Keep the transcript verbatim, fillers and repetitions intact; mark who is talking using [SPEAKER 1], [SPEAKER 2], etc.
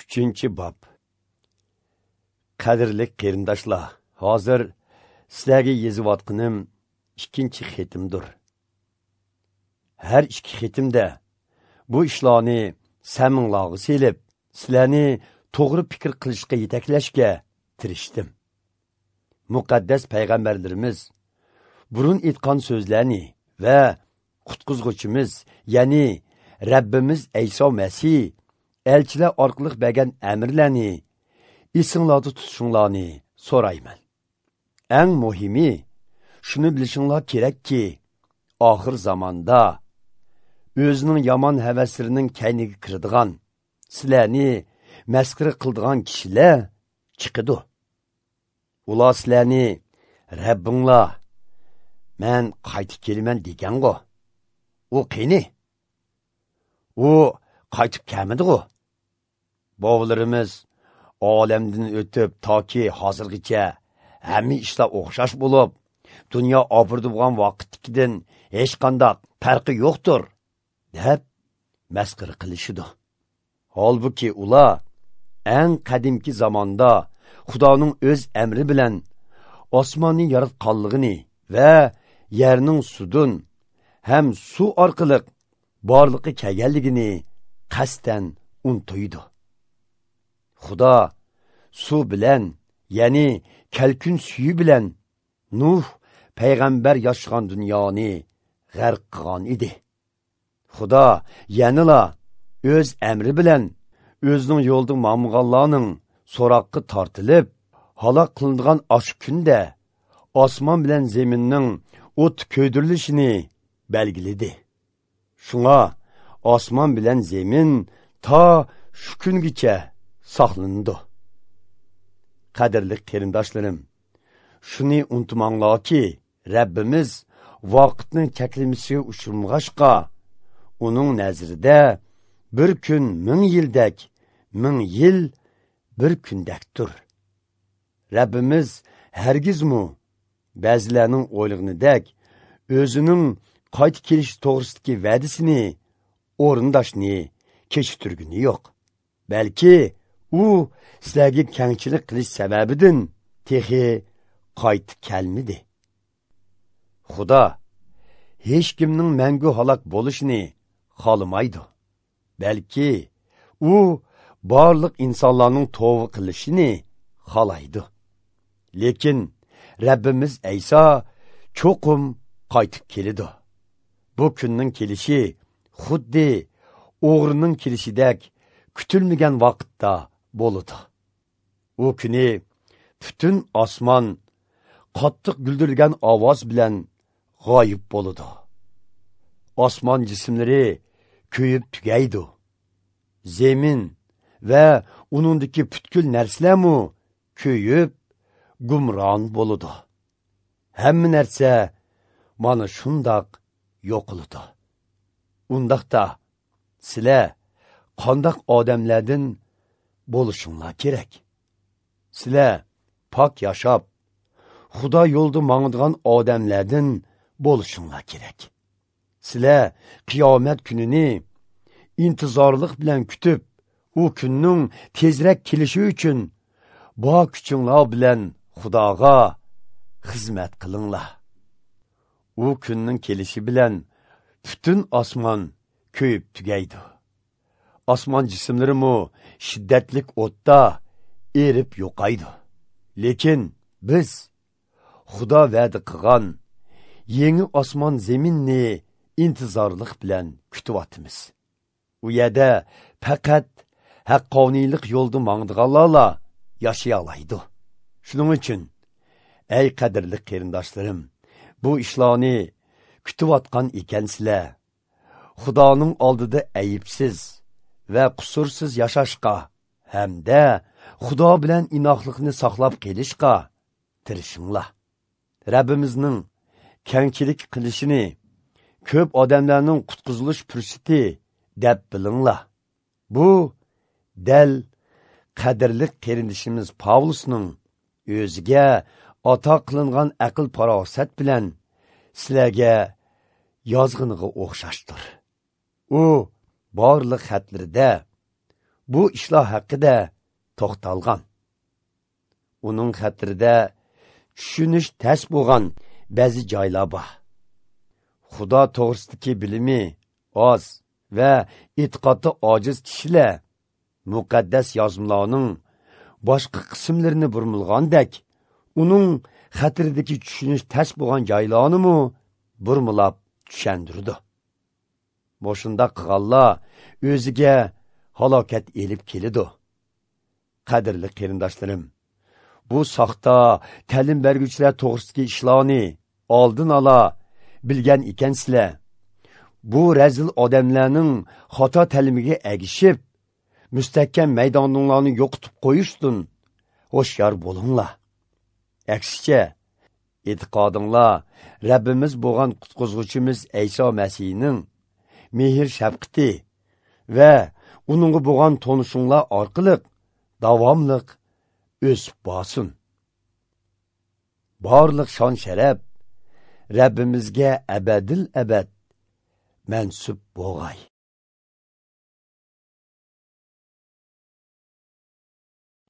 [SPEAKER 1] Uchinchi bob. Qadrli qarindoshlar, hozir sizlarga yozayotganim ikkinchi xatimdir. Har ikki xatimda bu ishlarni saminglarga selib, sizlarni to'g'ri fikr qilishga yetaklashga tirishdim. Muqaddas payg'ambarlarimiz burun aytgan so'zlarni va qutqizg'uchimiz, ya'ni Rabbimiz Ayso Masih elchilar orqali bergan amirlarni esinglarda tutishinglarni so'rayman. Eng muhimi shuni bilishinglar kerakki, oxir zamonda o'zining yomon havaslarining kayniga kiradigan, sizlarni masxara qiladigan kishilar chiqadi. Ular sizlarni Rabbinglar men qaytib kelaman degan-ku. U qani? U qaytib kelmadi-ku. Bobolarimiz olamdan o'tib toki hozirgacha hamma ishlar o'xshash bo'lib, dunyo obirdi bo'lgan vaqtdagidan hech qanday farqi yo'qdir, deb masxara qilishidi. Holbuki ular eng qadimki zamonda Xudoning o'z amri bilan osmonni yaratganligini va yerning sudun ham suv orqali borliqqa kelganligini qasddan unutuydi. Xudo suv bilan, ya'ni kalkun suyi bilan Nuh payg'ambar yashagan dunyoni g'arq qilgan edi. Xudo yanala o'z amri bilan o'zining yo'lida mamg'anlarning so'roqqa tortilib halok qilingan osh kunda osmon bilan zaminning o't ko'ydirilishini belgiladi. Shunga osmon bilan zamin to shu kungacha saqlanadi. Qadrli qarindoshlarim, shuni unutmanglarki, Rabbimiz vaqtning cheklamasiga uchirmag'achqa, uning nazarida bir kun ming yildak, ming yil bir kundakdir. Rabbimiz hargizmi ba'zilarning o'ylag'inidek o'zining qaytib kelish to'g'risidagi va'dasini o'rindashni kechiktirgani yo'q. Balki u sizlarga kengchilik qilish sababidan texi qaytib kelmadi. Xudo hech kimning mangu halok bo'lishini xohlamaydi. Balki u barliq insonlarning tavba qilishini xohlaydi. Lekin Rabbimiz Ayso cho'qim qaytib keladi. Bu kunning kelishi xuddi o'g'rining kelishidek kutilmagan vaqtda bo'ladi. U kuni butun osmon qattiq guldirgan ovoz bilan g'oyib bo'ladi. Osmon jismlari kuyib tugaydi. Zemin va uningdagi butkul narsalarmi kuyib gumron bo'ladi. Hamma narsa mana shundoq yo'qoladi. Undaqda sizlar qandoq odamlardan bo'lishinglar kerak? Sizlar pok yashab, Xudo yo'lida mangdigan odamlardan bo'lishinglar kerak. Sizlar qiyomat kunini intizorlik bilan kutib, u kunning tezroq kelishi uchun bor kuchinglar bilan Xudoga xizmat qilinglar. U kunning kelishi bilan butun osmon kuyib tugaydi. Osmon jismlarimi shiddatlik o'tda erib yo'qaydi. Lekin biz Xudo va'da qilgan yangi osmon zaminni intizorlik bilan kutyapmiz. U yerda faqat haqqoniylik yo'lda mangdiganlarla yashay oladi. Shuning uchun ey qadrli qarindoshlarim, bu ishlarni kutayotgan ekansizlar, Xudoning oldida aybsiz va qusursiz yashashga hamda Xudo bilan inoqlikni saqlab qolishga tirishinglar. Rabbimizning kengchilik qilishini ko'p odamlarning qutqizilish fursati deb bilinglar. Bu dal qadrli qarindishimiz Pavlusning o'ziga ato qilingan aql farosat bilan sizlarga yozg'iniga o'xshashdir. U barliq xatlarida bu ishlar haqida to'xtalgan. Uning xatirida tushunish tas bo'lgan ba'zi joylar bor. Xudo to'g'risidagi bilimi oz va e'tiqodi ojiz kishilar muqaddas yozmalarning boshqa qismlarini burmilgandek, uning xatiridagi tushunish tas bo'lgan joylarni burmilab tushundirdi. Boshunda qilganlar o'ziga halokat elib keladi. Qadrli qarindoshlarim, bu soxta ta'lim berguvchilar to'g'risidagi ishlarni oldin ola bilgan ekansizlar, bu razil odamlarning xato ta'limiga ergishib, mustahkam maydoninglarni yo'qotib qo'yishdan hushyor bo'linglar. Aksicha, e'tiqodinglar Rabbimiz bo'lgan qutqizuvchimiz Ayso Masihning mehr shafqati va uningga bo'lgan tonishinglar orqali davomliq o'sib borsin. Barliq shon sharaf Rabbimizga abadil abad mansub bo'lg'ay.